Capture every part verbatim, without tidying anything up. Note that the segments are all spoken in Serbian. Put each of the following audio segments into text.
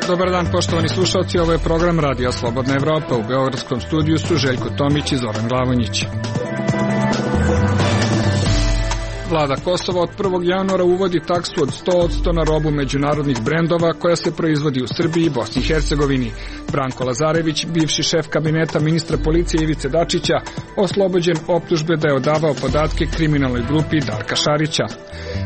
Dobar dan, poštovani slušalci, ovo je program Radija Slobodna Evropa. U beogradskom studiju su Željko Tomić i Zoran Glavonjić. Vlada Kosova od prvog januara uvodi taksu od sto posto na robu međunarodnih brendova koja se proizvodi u Srbiji i Bosni i Hercegovini. Branko Lazarević, bivši šef kabineta ministra policije Ivice Dačića, oslobođen optužbe da je odavao podatke kriminalnoj grupi Darka Šarića.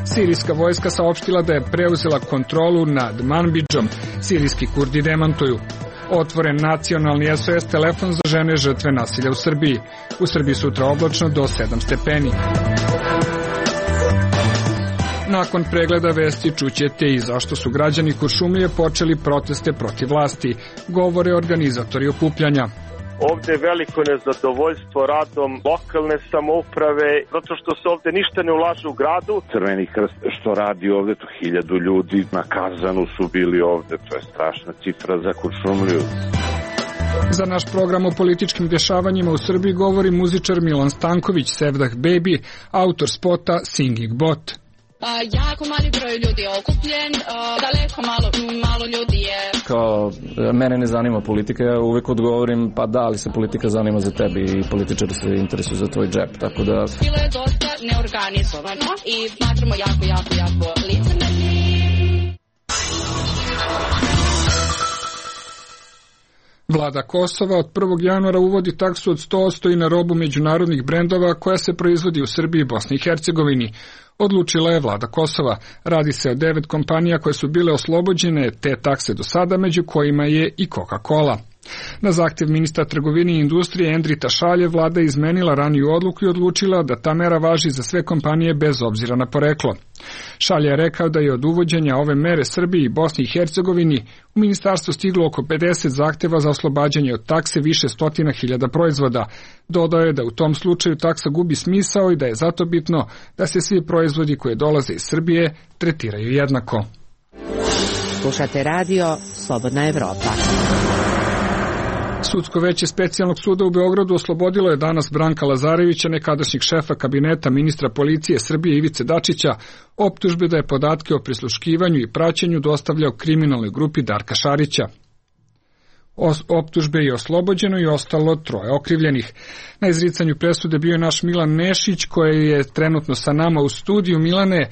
Sirijska vojska saopštila da je preuzela kontrolu nad Manbidžom. Sirijski Kurdi demantuju. Otvoren nacionalni S O S telefon za žene žrtve nasilja u Srbiji. U Srbiji sutra oblačno do sedam stepeni. Nakon pregleda vesti čućete i zašto su građani Kuršumlije počeli proteste protiv vlasti, govore organizatori okupljanja. Ovde je veliko nezadovoljstvo radom lokalne samouprave, zato što se ovde ništa ne ulaže u gradu. Crveni krst što radi ovde, to hiljadu ljudi na Kazanu su bili ovde, to je strašna cifra za Kuršumliju. Za naš program o političkim dešavanjima u Srbiji govori muzičar Milan Stanković, Sevdah Baby, autor spota Singing Bot. A, jako mali broj ljudi je okupljen, a, daleko malo, malo ljudi je... Kao, mene ne zanima politika, ja uvek odgovorim, pa da, ali se politika zanima za tebe i političari se interesuju za tvoj džep, tako da... Bilo je dosta neorganizovano i smatramo jako, jako, jako licemerni. Vlada Kosova od prvog januara uvodi taksu od sto posto i na robu međunarodnih brendova koja se proizvodi u Srbiji i Bosni i Hercegovini. Odlučila je Vlada Kosova. Radi se o devet kompanija koje su bile oslobođene te takse do sada, među kojima je i Coca-Cola. Na zahtjev ministra trgovine i industrije Endrita Šalje, vlada je izmenila raniju odluku i odlučila da ta mera važi za sve kompanije bez obzira na poreklo. Šalje je rekao da je od uvođenja ove mere Srbiji i Bosni i Hercegovini u ministarstvo stiglo oko pedeset zahtjeva za oslobađanje od takse više stotina hiljada proizvoda. Dodao je da u tom slučaju taksa gubi smisao i da je zato bitno da se svi proizvodi koji dolaze iz Srbije tretiraju jednako. Slušate radio Slobodna Evropa. Sudsko veće specijalnog suda u Beogradu oslobodilo je danas Branka Lazarevića, nekadašnjeg šefa kabineta ministra policije Srbije Ivice Dačića, optužbe da je podatke o prisluškivanju i praćenju dostavljao kriminalnoj grupi Darka Šarića. Optužbe je oslobođeno i ostalo troje okrivljenih. Na izricanju presude bio je naš Milan Nešić, koji je trenutno sa nama u studiju. Milane,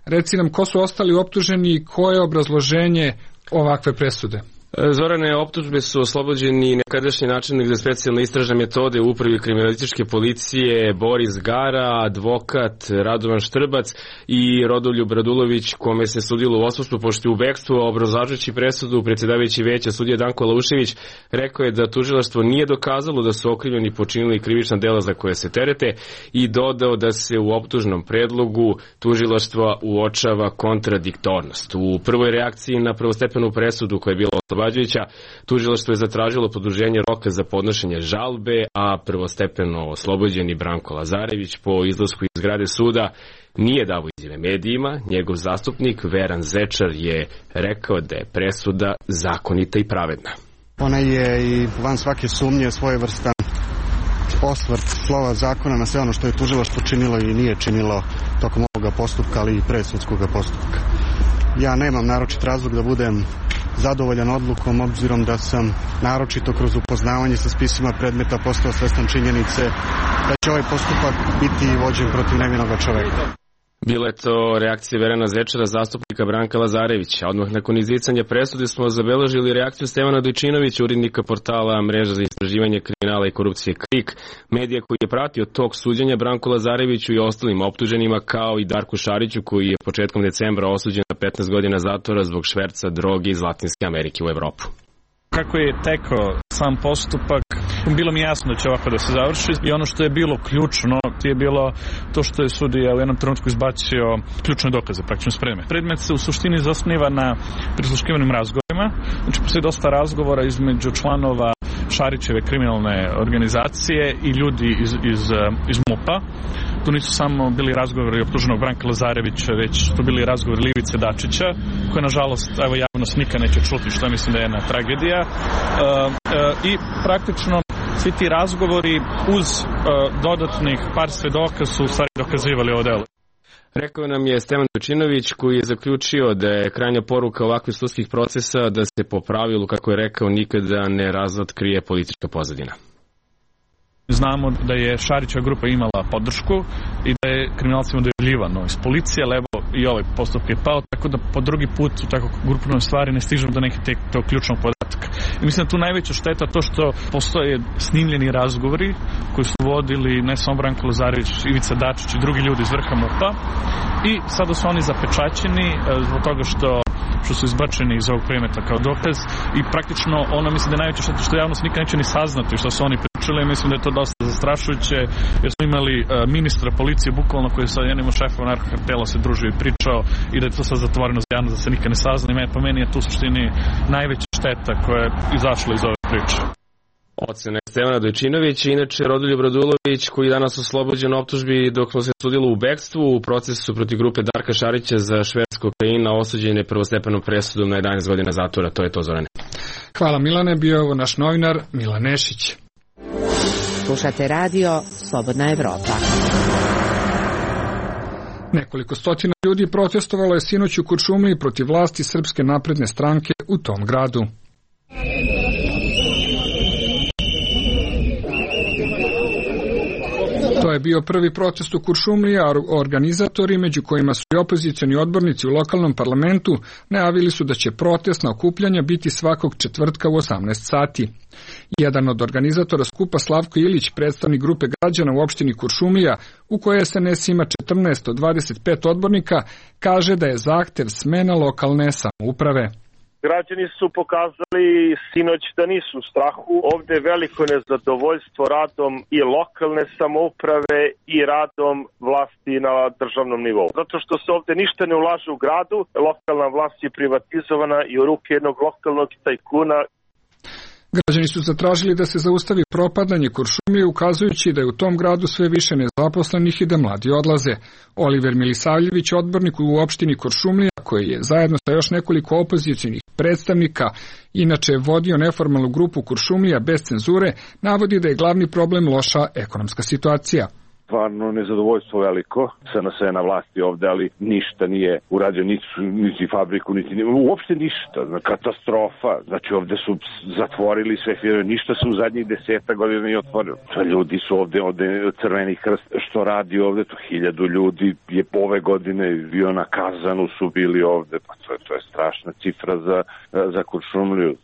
reci nam ko su ostali optuženi i koje je obrazloženje ovakve presude? Zorane, optužbe su oslobođeni nekadašnji načelnik za specijalne istražne metode u upravi kriminalističke policije Boris Gara, advokat Radovan Štrbac i Rodoljub Radulović, kome se sudilo u odsustvu pošto je u bekstvu. Obrazlažući presudu, predsjedavajući veća sudija Danko Laušević rekao je da tužilaštvo nije dokazalo da su okrivljeni počinili krivična dela za koje se terete i dodao da se u optužnom predlogu tužilaštva uočava kontradiktornost. U prvoj reakciji na prvostepenu presudu koja je bila oslobađajuća, tužilaštvo je zatražilo produženje roka za podnošenje žalbe, a prvostepeno oslobođeni Branko Lazarević po izlasku iz zgrade suda nije dao izjave medijima. Njegov zastupnik Veran Zečar je rekao da je presuda zakonita i pravedna. Ona je i van svake sumnje svojevrstan osvrt slova zakona na sve ono što je tužilaštvo činilo i nije činilo tokom ovoga postupka, ali i predsudskog postupka. Ja nemam naročit razlog da budem zadovoljan odlukom, obzirom da sam naročito kroz upoznavanje sa spisima predmeta postao svestan činjenice da će ovaj postupak biti vođen protiv nevinog čoveka. Bila je to reakcija Verana Zečara, zastupnika Branka Lazarevića. Odmah nakon izricanja presude smo zabeležili reakciju Stevana Dojčinovića, urednika portala Mreža za istraživanje kriminala i korupcije KRIK, medija koji je pratio tok suđenja Branku Lazareviću i ostalim optuženima, kao i Darku Šariću, koji je početkom decembra osuđen na petnaest godina zatvora zbog šverca droge iz Latinske Amerike u Evropu. Kako je tekao sam postupak, bilo mi jasno da će ovako da se završi i ono što je bilo ključno je bilo to što je sudija u jednom trenutku izbacio ključne dokaze, praktično spreme. Predmet se u suštini zasniva na prisluškivanim razgovorima, znači postoji dosta razgovora između članova Šarićeve kriminalne organizacije i ljudi iz, iz, iz MUP-a. Tu nisu samo bili razgovori optuženog Branka Lazarevića, već su bili razgovori Ivice Dačića, koje nažalost evo javnost nikad neće čuti, što mislim da je jedna tragedija. E, e, I praktično svi ti razgovori uz e, dodatnih par svedoka su u stvari dokazivali ovo delo. Rekao nam je Stevan Dojčinović, koji je zaključio da je krajnja poruka ovakvih sudskih procesa da se po pravilu, kako je rekao, nikada ne razotkrije politička pozadina. Znamo da je Šarićeva grupa imala podršku i da je kriminalcima dojavljivano iz policije, levo i ovaj postupak je pao, tako da po drugi put u tako grupnoj stvari ne stižemo do neke tog ključnog podatka. I mislim da tu najveća šteta to što postoje snimljeni razgovori koji su vodili ne samo Branko Lazarević, Ivica Dačić i drugi ljudi iz vrha MUP-a i sada su oni zapečaćeni zbog toga što što su izbačeni iz ovog predmeta kao dokaz i praktično ono mislim da je najveća šteta što javnost nikad neće ni saznati što su oni pričali. Mislim da je to dosta zastrašujuće jer smo imali uh, ministra policije bukvalno koji je sa jednim od šefova narkokartela se družio i pričao i da je to sad zatvoreno za javnost da se nikad ne sazna i po meni je tu u suštini najveća šteta koja je izašla iz ove priče. Ocena Stevana Dojčinovića, inače Rodoljub Radulović, koji je danas oslobođen optužbi dok se sudilo u bekstvu u procesu protiv grupe Darka Šarića za šverc kokaina, osuđen je prvostepenom presudom na jedanaest godina zatvora. To je to, Zorane. Hvala Milane, bio je ovo naš novinar Milan Nešić. Slušate radio Slobodna Evropa. Nekoliko stotina ljudi protestovalo je sinoć u Kuršumliji protiv vlasti Srpske napredne stranke u tom gradu. To je bio prvi protest u Kuršumliji, a organizatori, među kojima su i opozicioni odbornici u lokalnom parlamentu, najavili su da će protestna okupljanja biti svakog četvrtka u osamnaest sati. Jedan od organizatora skupa, Slavko Ilić, predstavnik grupe građana u opštini Kuršumlija, u kojoj S N S ima četrnaest od dvadeset pet odbornika, kaže da je zahtev smena lokalne samouprave. Građani su pokazali sinoć da nisu u strahu. Ovde je veliko nezadovoljstvo radom i lokalne samouprave i radom vlasti na državnom nivou. Zato što se ovde ništa ne ulaže u gradu, lokalna vlast je privatizovana i u ruke jednog lokalnog tajkuna. Građani su zatražili da se zaustavi propadanje Kuršumlije, ukazujući da je u tom gradu sve više nezaposlenih i da mladi odlaze. Oliver Milisavljević, odbornik u opštini Kuršumlija, koji je zajedno sa još nekoliko opozicijnih predstavnika inače vodio neformalnu grupu Kuršumlija bez cenzure, navodi da je glavni problem loša ekonomska situacija. Stvarno nezadovoljstvo veliko, S N S je na vlasti ovde, ali ništa nije urađeno, niti, niti fabriku, niti uopšte ništa, katastrofa. Znači ovde su zatvorili sve firme, ništa se u zadnjih deseta godina nije otvorilo. Ljudi su ovde, ovde Crveni krst, što radi ovde, to hiljadu ljudi je ove godine bio na Kazanu, su bili ovde, pa to je, to je strašna cifra za, za Kuršumliju.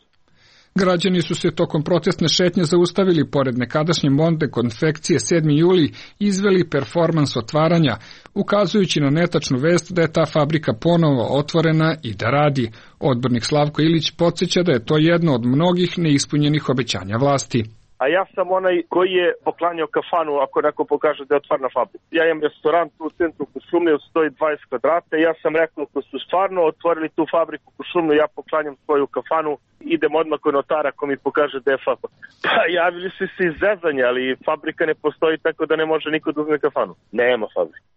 Građani su se tokom protestne šetnje zaustavili pored nekadašnje Monde konfekcije sedmi juli i izveli performans otvaranja, ukazujući na netačnu vest da je ta fabrika ponovo otvorena i da radi. Odbornik Slavko Ilić podsjeća da je to jedno od mnogih neispunjenih obećanja vlasti. A ja sam onaj koji je poklanjao kafanu ako neko pokaže da je otvorena fabrika. Ja imam restoran tu u centru Kuršumlije, stoji dvadeset kvadrata i ja sam rekao ako su stvarno otvorili tu fabriku Kuršumliju, ja poklanjam svoju kafanu, idem odmah kod notara ako mi pokaže da je fabrika. Pa javili su se iz zezanja, ali fabrika ne postoji tako da ne može niko da uzme kafanu. Nema fabrika.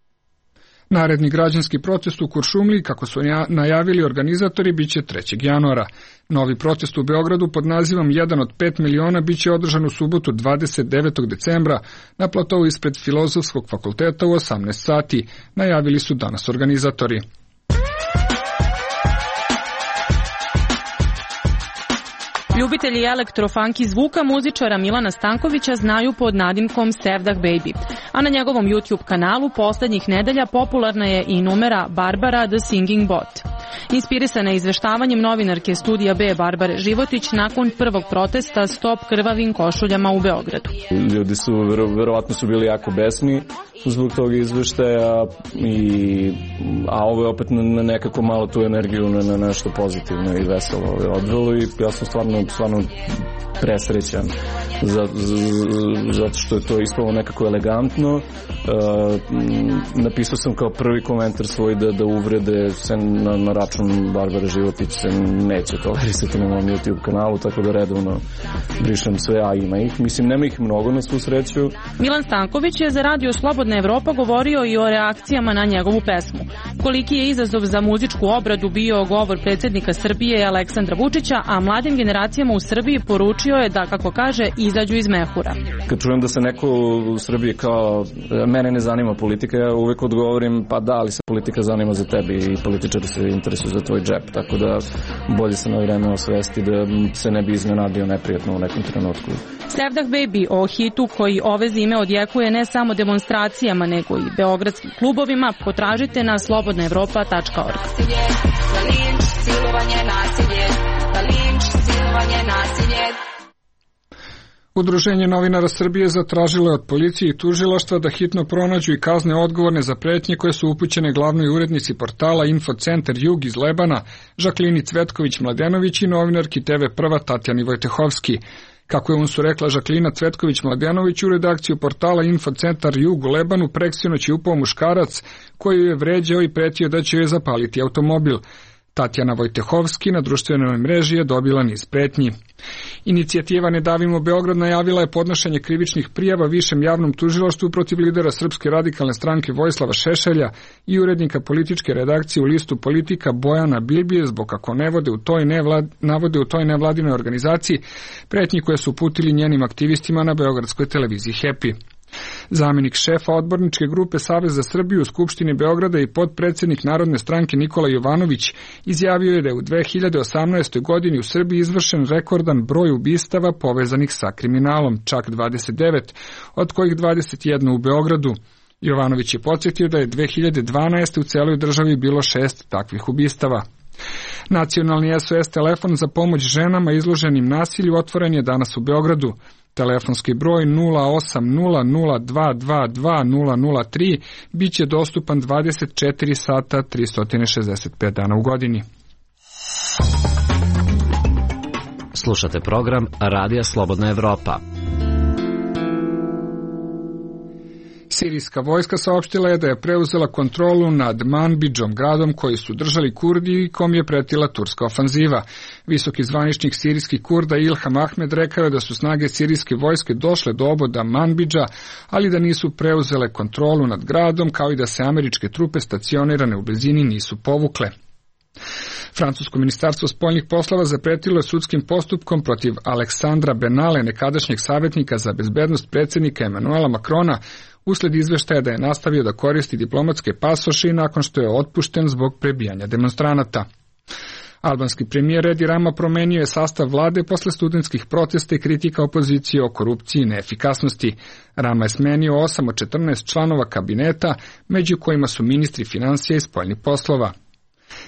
Naredni građanski protest u Kuršumliji, kako su najavili organizatori, biće trećeg januara. Novi protest u Beogradu pod nazivom jedan od pet miliona biće održan u subotu dvadeset devetog decembra na platovu ispred Filozofskog fakulteta u osamnaest sati, najavili su danas organizatori. Ljubitelji elektrofunky zvuka muzičara Milana Stankovića znaju pod nadimkom Sevdah Baby, a na njegovom YouTube kanalu poslednjih nedelja popularna je i numera Barbara The Singing Bot. Inspirisana izveštavanjem novinarke Studija B Barbare Životić nakon prvog protesta Stop krvavim košuljama u Beogradu. Ljudi su, verovatno su bili jako besni zbog tog izveštaja, i, a ovo je opet na nekako malo tu energiju na, na nešto pozitivno i veselo odvelo i ja sam stvarno, stvarno presrećan za, za, zato što je to ispalo nekako elegantno. Uh, napisao sam kao prvi komentar svoj da, da uvrede se na, na račun Barbare Životić se neće tolerisati na mom YouTube kanalu, tako da redovno brišem sve, a ima ih. Mislim, nema ih mnogo na svu sreću. Milan Stanković je za radio Slobodna Slobodna Evropa govorio i o reakcijama na njegovu pesmu. Koliki je izazov za muzičku obradu bio govor predsjednika Srbije Aleksandra Vučića, a mladim generacijama u Srbiji poručio je da, kako kaže, izađu iz mehura. Kad čujem da se neko u Srbiji kao mene ne zanima politika, ja uvek odgovorim pa da, ali se politika zanima za tebe i političari se interesuju za tvoj džep, tako da bolje se na vreme osvesti da se ne bi iznenadio neprijatno u nekom trenutku. Sevdah Baby o hitu koji ove zime odjekuje ne samo demonstracijama nego i beogradskim klubovima potražite na slobodna evropa tačka org. Udruženje novinara Srbije zatražilo je od policije i tužilaštva da hitno pronađu i kazne odgovorne za pretnje koje su upućene glavnoj urednici portala Infocentar Jug iz Lebana, Žaklini Cvetković-Mladenović i novinarki te ve Prva Tatjani Vojtehovski. Kako je unsu rekla Žaklina Cvetković-Mladenović, u redakciju portala Infocentar Jug u Lebanu preksinoć je upao muškarac koji je vređao i pretio da će joj zapaliti automobil. Tatjana Vojtehovski na društvenoj mreži je dobila niz pretnji. Inicijativa Ne davimo Beograd najavila je podnošenje krivičnih prijava višem javnom tužilaštvu protiv lidera Srpske radikalne stranke Vojislava Šešelja i urednika političke redakcije u listu Politika Bojana Bilbije zbog kako ne vode u toj nevlad, navode u toj nevladinoj organizaciji pretnji koje su uputili njenim aktivistima na beogradskoj televiziji Happy. Zamenik šefa odborničke grupe Savez za Srbiju u Skupštini Beograda i potpredsednik Narodne stranke Nikola Jovanović izjavio je da je u dve hiljade osamnaestoj. godini u Srbiji izvršen rekordan broj ubistava povezanih sa kriminalom, čak dvadeset devet, od kojih dvadeset jedno u Beogradu. Jovanović je podsjetio da je dve hiljade dvanaeste. u celoj državi bilo šest takvih ubistava. Nacionalni S O S telefon za pomoć ženama izloženim nasilju otvoren je danas u Beogradu. Telefonski broj nula osam nula nula dva dva dva nula nula tri biće dostupan dvadeset četiri sata tristo šezdeset pet dana u godini. Slušate program Radija Slobodna Evropa. Sirijska vojska saopštila je da je preuzela kontrolu nad Manbidžom, gradom koji su držali Kurdi i kom je pretila turska ofanziva. Visoki zvaničnik sirijskih Kurda Ilham Ahmed rekao je da su snage sirijske vojske došle do oboda Manbidža, ali da nisu preuzele kontrolu nad gradom, kao i da se američke trupe stacionirane u blizini nisu povukle. Francusko ministarstvo spoljnih poslova zapretilo je sudskim postupkom protiv Aleksandra Benale, nekadašnjeg savjetnika za bezbednost predsjednika Emanuela Makrona, usled izveštaja da je nastavio da koristi diplomatske pasoše nakon što je otpušten zbog prebijanja demonstranata. Albanski premijer Edi Rama promenio je sastav vlade posle studentskih protesta i kritika opozicije o korupciji i neefikasnosti. Rama je smenio osam od četrnaest članova kabineta, među kojima su ministri financija i spoljnih poslova.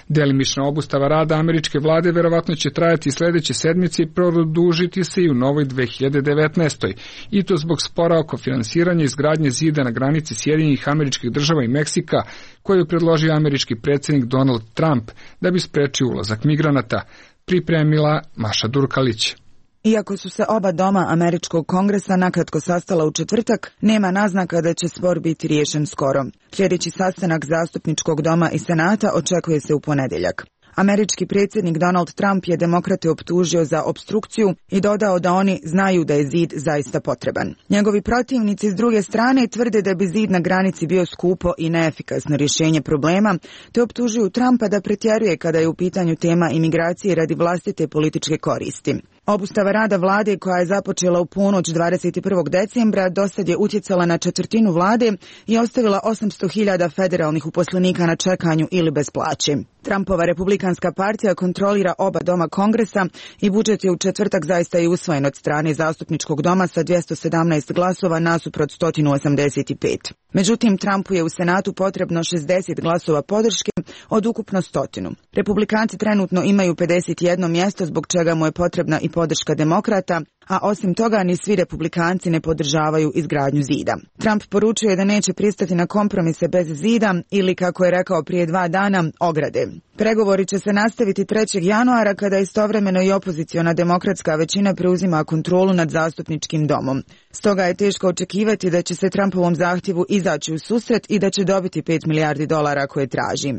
Delimična obustava rada američke vlade verovatno će trajati sledeće sedmice i produžiti se i u novoj dve hiljade devetnaestoj. I to zbog spora oko finansiranja izgradnje zida na granici Sjedinjenih Američkih Država i Meksika, koju je predložio američki predsjednik Donald Trump da bi sprečio ulazak migranata. Pripremila Maša Durkalić. Iako su se oba doma američkog kongresa nakratko sastala u četvrtak, nema naznaka da će spor biti riješen skoro. Sljedeći sastanak zastupničkog doma i senata očekuje se u ponedjeljak. Američki predsjednik Donald Trump je demokrate optužio za opstrukciju i dodao da oni znaju da je zid zaista potreban. Njegovi protivnici s druge strane tvrde da bi zid na granici bio skupo i neefikasno rješenje problema, te optužuju Trumpa da pretjeruje kada je u pitanju tema imigracije radi vlastite političke koristi. Obustava rada vlade koja je započela u ponoć dvadeset prvog decembra dosad je utjecala na četvrtinu vlade i ostavila osamsto hiljada federalnih uposlenika na čekanju ili bez plaće. Trumpova republikanska partija kontrolira oba doma kongresa i budžet je u četvrtak zaista i usvojen od strane zastupničkog doma sa dvjesto sedamnaest glasova nasuprot sto osamdeset pet. Međutim, Trumpu je u Senatu potrebno šezdeset glasova podrške od ukupno stotinu. Republikanci trenutno imaju pedeset jedno mjesto zbog čega mu je potrebna i podrška demokrata, a osim toga ni svi republikanci ne podržavaju izgradnju zida. Trump poručuje da neće pristati na kompromise bez zida ili, kako je rekao prije dva dana, ograde. Pregovori će se nastaviti trećeg januara kada istovremeno i opoziciona demokratska većina preuzima kontrolu nad zastupničkim domom. Stoga je teško očekivati da će se Trumpovom zahtjevu izaći u susret i da će dobiti pet milijardi dolara koje traži.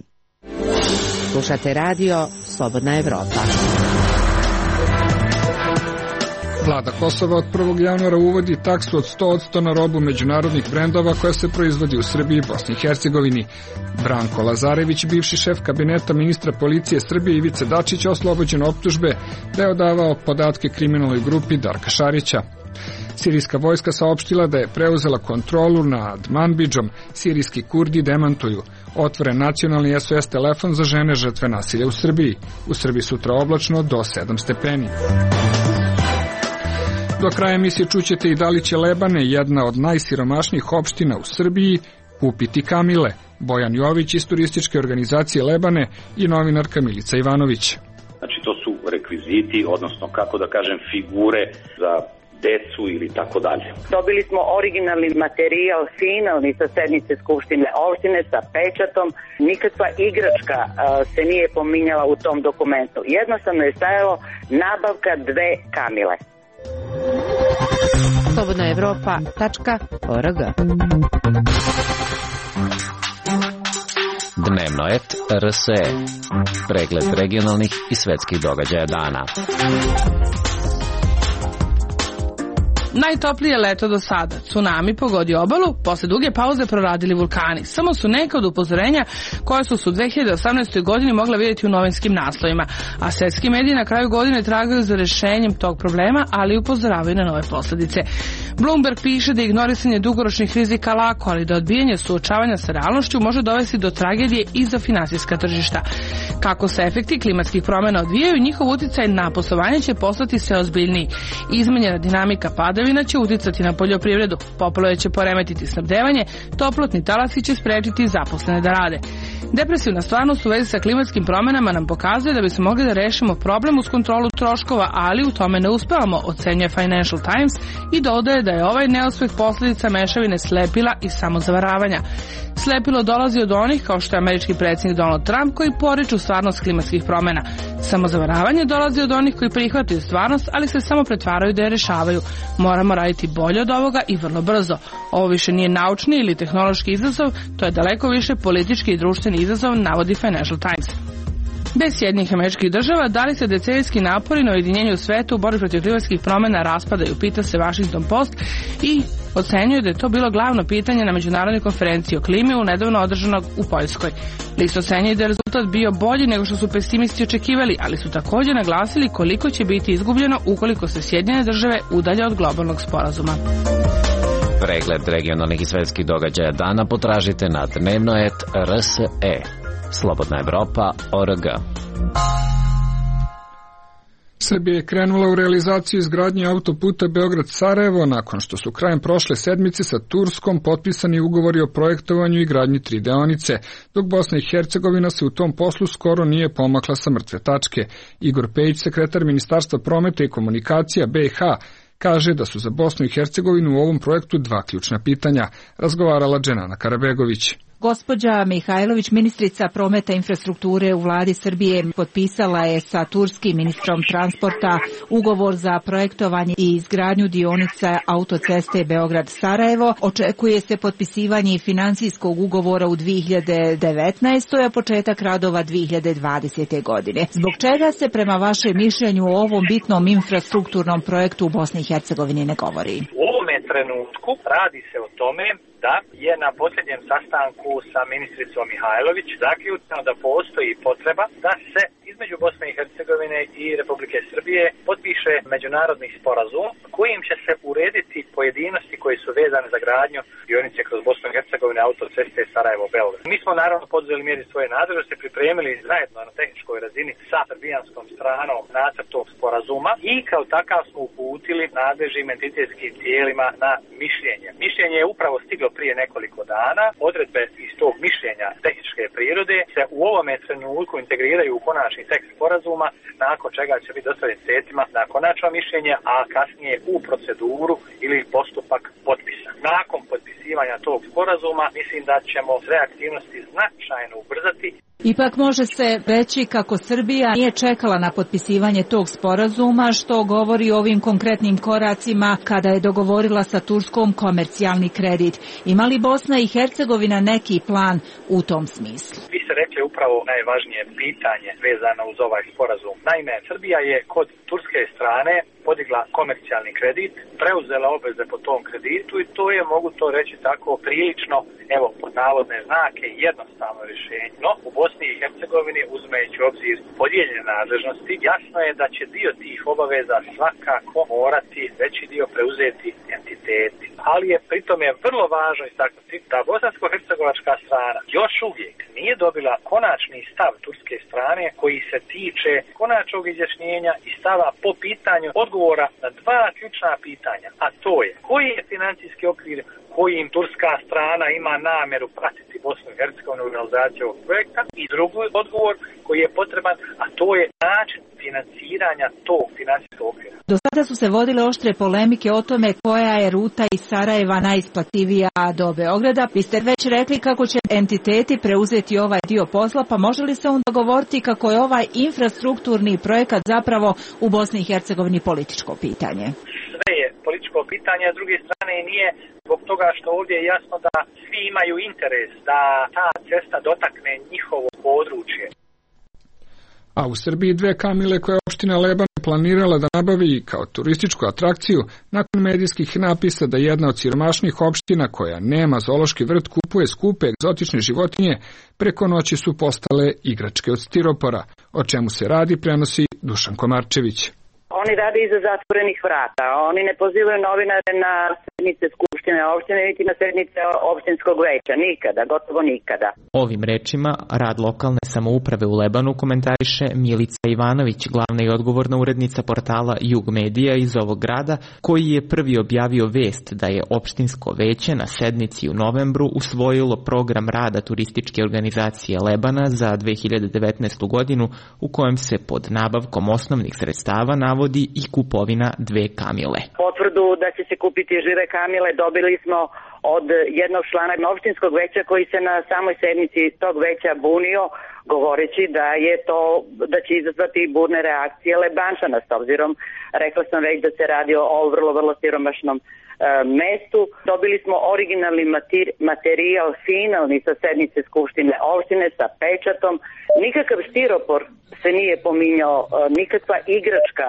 Slušate radio Slobodna Evropa. Vlada Kosova od prvog januara uvodi taksu od sto posto na robu međunarodnih brendova koja se proizvodi u Srbiji i Bosni i Hercegovini. Branko Lazarević, bivši šef kabineta ministra policije Srbije Ivice Dačića, oslobođen optužbe da je odavao podatke kriminalnoj grupi Darka Šarića. Sirijska vojska saopštila da je preuzela kontrolu nad Manbidžom. Sirijski Kurdi demantuju. Otvoren nacionalni S O S telefon za žene žrtve nasilja u Srbiji. U Srbiji sutra oblačno do sedam stepeni. Do kraja emisije čućete i da li će Lebane, jedna od najsiromašnijih opština u Srbiji, kupiti kamile. Bojan Jović iz turističke organizacije Lebane i novinarka Milica Ivanović. Znači to su rekviziti, odnosno kako da kažem figure za decu ili tako dalje. Dobili smo originalni materijal, finalni sa sednice Skupštine opštine sa pečatom. Nikakva igračka a, se nije pominjala u tom dokumentu. Jednostavno je stajalo nabavka dve kamile. slobodna evropa tačka org. Dnevno et R S E. Pregled regionalnih i svetskih događaja dana. Najtoplije leto do sada. Tsunami pogodio obalu, posle duge pauze proradili vulkani. Samo su neka od upozorenja koje su se u dve hiljade osamnaestoj godini mogla vidjeti u novinskim naslovima, a svetski mediji na kraju godine tragaju za rešenjem tog problema, ali upozoravaju na nove posledice. Bloomberg piše da ignorisanje dugoročnih rizika lako, ali da odbijanje suočavanja sa realnošću može dovesti do tragedije i za finansijska tržišta. Kako se efekti klimatskih promjena odvijaju, njihov uticaj na poslovanje će postati sve ozbiljniji. Izmenjena dinamika padavina će uticati na poljoprivredu, poplave će poremetiti snabdevanje, toplotni talasi će sprečiti zaposlene da rade. Depresivna stvarnost u vezi sa klimatskim promjenama nam pokazuje da bi se mogli da rešimo problem uz kontrolu troškova, ali u tome ne uspevamo, ocenjuje Financial Times i dodaje da je ovaj neuspeh posljedica mešavine slepila i samozavaravanja. Slepilo dolazi od onih kao što je američki predsjednik Donald Trump koji poriču stvarnost klimatskih promjena. Samozavaravanje dolazi od onih koji prihvataju stvarnost, ali se samo pretvaraju da je rešavaju. Moramo raditi bolje od ovoga i vrlo brzo. Ovo više nije naučni ili tehnološki izazov, to je daleko više politički i društveni izazov, navodi Financial Times. Bez Sjedinjenih Američkih Država, da li se decenijski napori na ujedinjenju sveta u borbi protiv klimatskih promjena raspadaju, pita se Washington Post i ocenjuje da je to bilo glavno pitanje na međunarodnoj konferenciji o klimi u nedavno održanog u Poljskoj. List ocenjuje da je rezultat bio bolji nego što su pesimisti očekivali, ali su također naglasili koliko će biti izgubljeno ukoliko se Sjedinjene Države udalje od globalnog sporazuma. Pregled regionalnih i svetskih događaja dana potražite na dnevno et R S E. Slobodna Evropa org. Srbija je krenula u realizaciju izgradnje autoputa Beograd-Sarajevo nakon što su krajem prošle sedmice sa Turskom potpisani ugovori o projektovanju i gradnji tri deonice, dok Bosna i Hercegovina se u tom poslu skoro nije pomakla sa mrtve tačke. Igor Pejić, sekretar Ministarstva prometa i komunikacija B i H, kaže da su za Bosnu i Hercegovinu u ovom projektu dva ključna pitanja, razgovarala Dženana Karabegović. Gospođa Mihajlović, ministrica prometa i infrastrukture u vladi Srbije, potpisala je sa turskim ministrom transporta ugovor za projektovanje i izgradnju dionica autoceste Beograd-Sarajevo. Očekuje se potpisivanje financijskog ugovora u dve hiljade devetnaestoj. a početak radova dve hiljade dvadesete. godine. Zbog čega se prema vašem mišljenju o ovom bitnom infrastrukturnom projektu u Bosni i Hercegovini ne govori? U ovome trenutku radi se o tome da je na posljednjem sastanku sa ministricom Mihajlović zaključeno da postoji potreba da se između Bosne i Hercegovine i Republike Srbije potpiše međunarodni sporazum kojim će se urediti pojedinosti koji su vezane za gradnju dionice kroz Bosnu i Hercegovine autoceste Sarajevo-Beograd. Mi smo naravno poduzeli mjeri svoje nadležnosti, pripremili zajedno na tehničkoj razini sa srbijanskom stranom nacrt tog sporazuma i kao takav smo uputili nadležnim entitetskim tijelima na mišljenje. Mišljenje je upravo stiglo prije nekoliko dana. Odredbe iz tog mišljenja tehničke prirode se u ovome trenutku integriraju u konačni tekst sporazuma, nakon čega će biti dostavljen sredstvima na konačno mišljenje, a kasnije u proceduru ili postupak potpisa. Nakon potpisivanja tog sporazuma mislim da ćemo sve aktivnosti značajno ubrzati. Ipak može se reći kako Srbija nije čekala na potpisivanje tog sporazuma, što govori o ovim konkretnim koracima kada je dogovorila sa Turskom komercijalni kredit. Ima li Bosna i Hercegovina neki plan u tom smislu? Vi ste rekli upravo najvažnije pitanje vezano uz ovaj sporazum. Naime, Srbija je kod turske strane podigla komercijalni kredit, preuzela obveze po tom kreditu i to je, mogu to reći tako, prilično, evo, pod navodne znake, jednostavno rješenje. No, u Bosni i Hercegovini, uzimajući u obzir podijeljene nadležnosti, jasno je da će dio tih obaveza svakako morati veći dio preuzeti entiteti. Ali je pritom je vrlo važno istaknuti da bosansko-hercegovačka strana još uvijek nije dobila konačni stav turske strane koji se tiče konačnog izjašnjenja i stava po pitanju odgovora na dva ključna pitanja, a to je koji je financijski okvir kojim turska strana ima namjeru pratiti Bosnu i Hercegovinu u realizaciju ovog projekta i drugi odgovor koji je potreban, a to je način financiranja tog financijskog okvira. Do sada su se vodile oštre polemike o tome koja je ruta iz Sarajeva najisplativija do Beograda. Vi ste već rekli kako će entiteti preuzeti ovaj dio posla, pa može li se onda govoriti kako je ovaj infrastrukturni projekat zapravo u Bosni i Hercegovini političko pitanje? Sve je političko pitanje, a s druge strane nije zbog toga što ovdje je jasno da svi imaju interes da ta cesta dotakne njihovo područje. A u Srbiji dve kamile koje je opština Leban planirala da nabavi kao turističku atrakciju nakon medijskih napisa da jedna od siromašnih opština koja nema zoološki vrt kupuje skupe egzotične životinje, preko noći su postale igračke od stiropora. O čemu se radi prenosi Dušan Komarčević. Oni rade iza zatvorenih vrata. Oni ne pozivaju novinare na sednice skupštine opštine, niti na sednice opštinskog veća. Nikada, gotovo nikada. Ovim rečima rad lokalne samouprave u Lebanu komentariše Milica Ivanović, glavna i odgovorna urednica portala Jug Medija iz ovog grada, koji je prvi objavio vest da je opštinsko veće na sednici u novembru usvojilo program rada turističke organizacije Lebana za dve hiljade devetnaestu godinu, u kojem se pod nabavkom osnovnih sredstava navodi i kupovina dve kamile. Potvrdu da će se kupiti žive kamile dobili smo od jednog člana opštinskog veća koji se na samoj sednici tog veća bunio, govoreći da je to, da će izazvati burne reakcije Lebančana, s obzirom, rekla sam već da se radi o vrlo, vrlo siromašnom e, mestu. Dobili smo originalni materijal, finalni sa sednice skupštine opštine sa pečatom. Nikakav stiropor se nije pominjao, nikakva igračka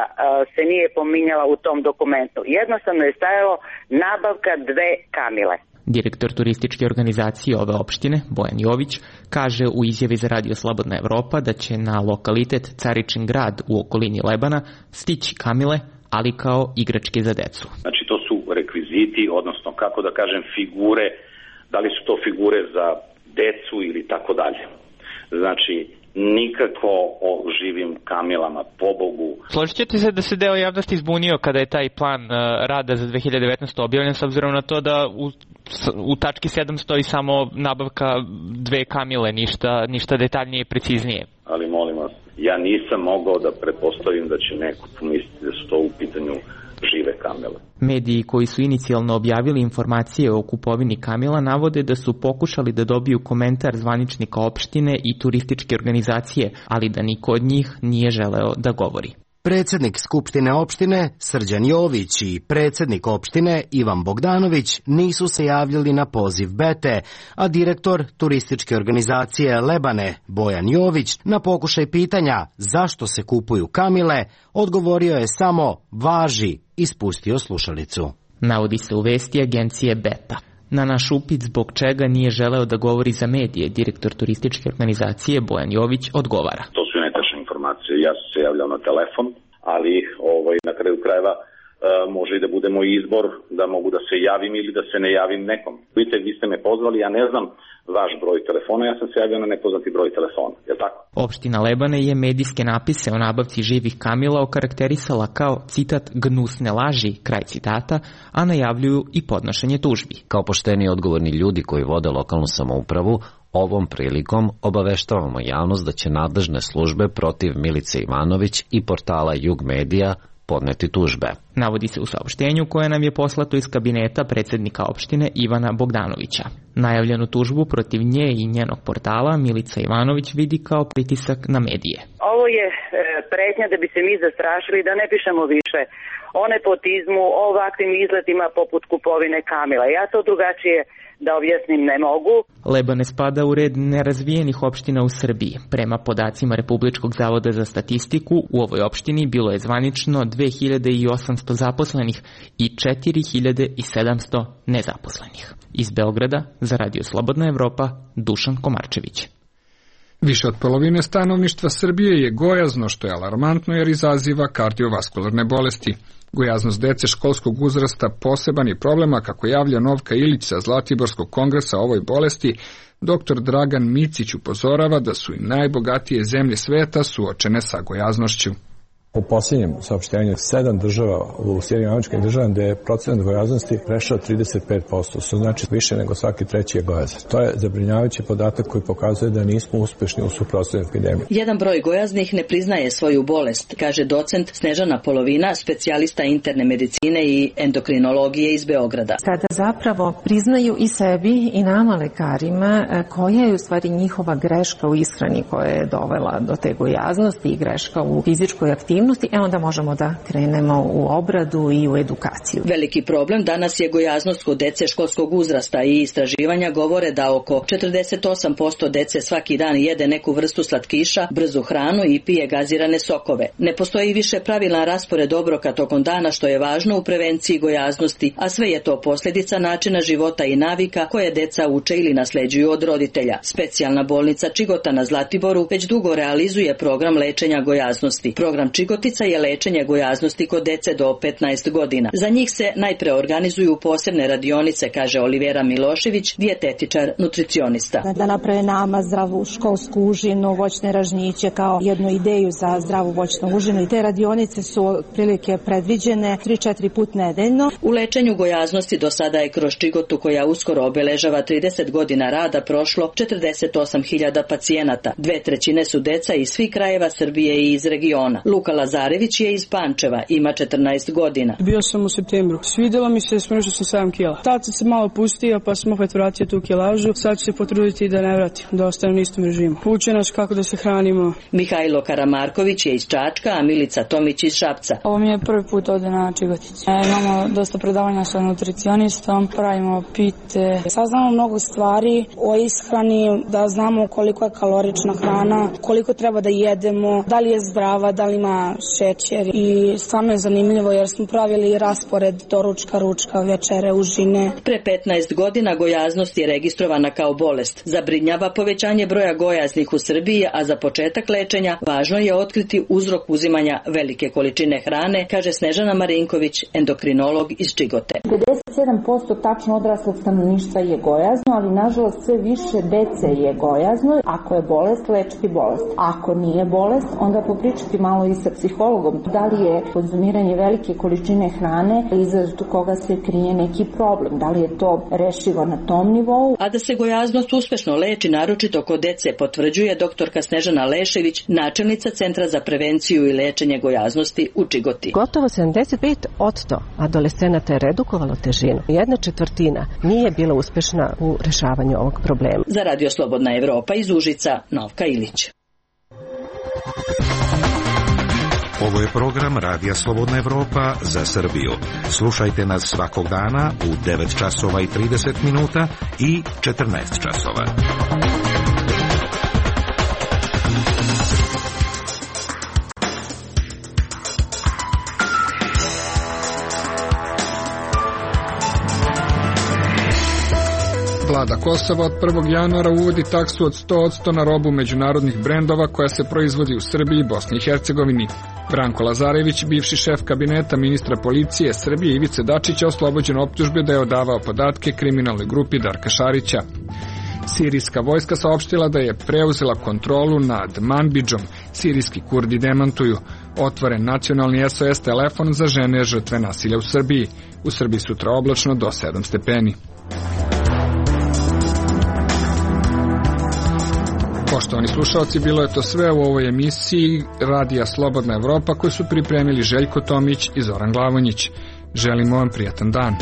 se nije pominjala u tom dokumentu. Jednostavno je stajalo nabavka dve kamile. Direktor turističke organizacije ove opštine, Bojan Jović, kaže u izjavi za Radio Slobodna Evropa da će na lokalitet Caričin grad u okolini Lebana stići kamile, ali kao igračke za decu. Znači to su rekviziti, odnosno kako da kažem figure, da li su to figure za decu ili tako dalje. Znači nikako o živim kamilama, pobogu. Složit ćete se da se deo javnosti izbunio kada je taj plan uh, rada za dve hiljade devetnaestu objavljen, s obzirom na to da u, u tački sedam stoji samo nabavka dve kamile, ništa, ništa detaljnije i preciznije. Ali molim vas, ja nisam mogao da pretpostavim da će neko pomisliti da su to u pitanju žive kamile. Mediji koji su inicijalno objavili informacije o kupovini kamila navode da su pokušali da dobiju komentar zvaničnika opštine i turističke organizacije, ali da niko od njih nije želeo da govori. Predsjednik Skupštine opštine Srđan Jović i predsjednik opštine Ivan Bogdanović nisu se javljali na poziv Bete, a direktor turističke organizacije Lebane Bojan Jović na pokušaj pitanja zašto se kupuju kamile odgovorio je samo važi i spustio slušalicu. Navodi se u vesti agencije Beta. Na naš upit zbog čega nije želeo da govori za medije, direktor turističke organizacije Bojan Jović odgovara. To su netačne informacije. Ja sam se javljao na telefon, ali ovaj, na kraju krajeva e, može i da bude moj izbor da mogu da se javim ili da se ne javim nekom. Vidite, vi ste me pozvali, ja ne znam vaš broj telefona, ja sam se javio na nepoznati broj telefona, je tako? Opština Lebane je medijske napise o nabavci živih kamila okarakterisala kao, citat, gnusne laži, kraj citata, a najavljuju i podnošenje tužbi. Kao pošteni odgovorni ljudi koji vode lokalnu samoupravu, ovom prilikom obaveštavamo javnost da će nadležne službe protiv Milice Ivanović i portala Jug Medija podneti tužbe. Navodi se u saopštenju koje nam je poslato iz kabineta predsjednika opštine Ivana Bogdanovića. Najavljenu tužbu protiv nje i njenog portala Milica Ivanović vidi kao pritisak na medije. Ovo je pretnja da bi se mi zastrašili da ne pišemo više o nepotizmu, o ovakvim izletima poput kupovine Kamila. Ja to drugačije da objasnim ne mogu. Lebane spada u red nerazvijenih opština u Srbiji. Prema podacima Republičkog zavoda za statistiku, u ovoj opštini bilo je zvanično dve hiljade osamsto zaposlenih i četiri hiljade sedamsto nezaposlenih. Iz Beograda za Radio Slobodna Evropa, Dušan Komarčević. Više od polovine stanovništva Srbije je gojazno, što je alarmantno jer izaziva kardiovaskularne bolesti. Gojaznost dece školskog uzrasta poseban je problema, kako javlja Novka Ilić sa Zlatiborskog kongresa o ovoj bolesti. Doktor Dragan Micić upozorava da su i najbogatije zemlje sveta suočene sa gojaznošću. U posljednjem saopštenju sedam država u Sjedinjenim Američkim Državama gde je procenat gojaznosti prešao trideset pet posto, što znači više nego svaki treći je gojazan. To je zabrinjavajući podatak koji pokazuje da nismo uspešni u suprotstavljanju epidemije. Jedan broj gojaznih ne priznaje svoju bolest, kaže docent Snežana Polovina, specijalista interne medicine i endokrinologije iz Beograda. Kada zapravo priznaju i sebi i nama lekarima koja je u stvari njihova greška u ishrani koja je dovela do te gojaznosti i greška u fizičkoj aktivnosti, e onda možemo da krenemo u obradu i u edukaciju. Veliki problem danas je gojaznost kod dece školskog uzrasta i istraživanja govore da oko četrdeset osam posto dece svaki dan jede neku vrstu slatkiša, brzu hranu i pije gazirane sokove. Ne postoji više pravilan raspored obroka tokom dana, što je važno u prevenciji gojaznosti, a sve je to posljedica načina života i navika koje deca uče ili nasleđuju od roditelja. Specijalna bolnica Čigota na Zlatiboru već dugo realizuje program lečenja gojaznosti. Program Čigotica je lečenje gojaznosti kod dece do petnaest godina. Za njih se najpre organizuju posebne radionice, kaže Olivera Milošević, dijetetičar, nutricionista. Da naprave nama zdravu školsku užinu, voćne ražnjiće kao jednu ideju za zdravu voćnu užinu, i te radionice su otprilike predviđene tri četiri put nedeljno. U lečenju gojaznosti do sada je kroz Čigotu, koja uskoro obeležava trideset godina rada, prošlo četrdeset osam hiljada pacijenata. Dve trećine su deca iz svih krajeva Srbije i iz regiona. Luka Lazarević je iz Pančeva, ima četrnaest godina. Bio sam u septembru. Svidjelo mi se, smršao sam sedam kila. Tad sam se malo pustio, pa sam opet vratio tu kilažu. Sad ću se potruditi da ne vratim, da ostanem na istom režimu. Uče nas kako da se hranimo. Mihajlo Karamarković je iz Čačka, a Milica Tomić iz Šapca. Ovo mi je prvi put ovde na Čigotici. E, imamo dosta predavanja sa nutricionistom, pravimo pite. Saznamo mnogo stvari o ishrani, da znamo koliko je kalorična hrana, koliko treba da jedemo, da li je zdrava, da li ima šećer, i stvarno je zanimljivo jer smo pravili raspored doručka, ručka, večere, užine. Pre petnaest godina gojaznost je registrovana kao bolest. Zabrinjava povećanje broja gojaznih u Srbiji, a za početak lečenja važno je otkriti uzrok uzimanja velike količine hrane, kaže Snežana Marinković, endokrinolog iz Čigote. pedeset sedam posto tačno odraslog stanovništva je gojazno, ali nažalost sve više dece je gojazno. Ako je bolest, lečiti bolest. Ako nije bolest, onda popričati malo i sa psihologom. Da li je konzumiranje velike količine hrane iza koga se krije neki problem? Da li je to rešivo na tom nivou? A da se gojaznost uspešno leči, naročito kod dece, potvrđuje doktorka Snežana Lešević, načelnica Centra za prevenciju i lečenje gojaznosti u Čigoti. Gotovo sedamdeset pet posto adolescenata je redukovalo težinu. Jedna četvrtina nije bila uspešna u rešavanju ovog problema. Za Radio Slobodna Evropa iz Užica, Novka Ilić. Ovo je program Radija Slobodna Evropa za Srbiju. Slušajte nas svakog dana u devet časova i trideset minuta i četrnaest časova. Vlada Kosova od prvog januara uvodi taksu od sto posto na robu međunarodnih brendova koja se proizvodi u Srbiji i Bosni i Hercegovini. Branko Lazarević, bivši šef kabineta ministra policije Srbije Ivice Dačića, oslobođen optužbe da je odavao podatke kriminalnoj grupi Darka Šarića. Sirijska vojska saopštila da je preuzela kontrolu nad Manbidžom. Sirijski Kurdi demantuju. Otvoren nacionalni S O S telefon za žene žrtve nasilja u Srbiji. U Srbiji sutra oblačno do sedam stepeni. Poštovani slušalci, bilo je to sve u ovoj emisiji Radija Slobodna Evropa koju su pripremili Željko Tomić i Zoran Glavonjić. Želimo vam prijatan dan.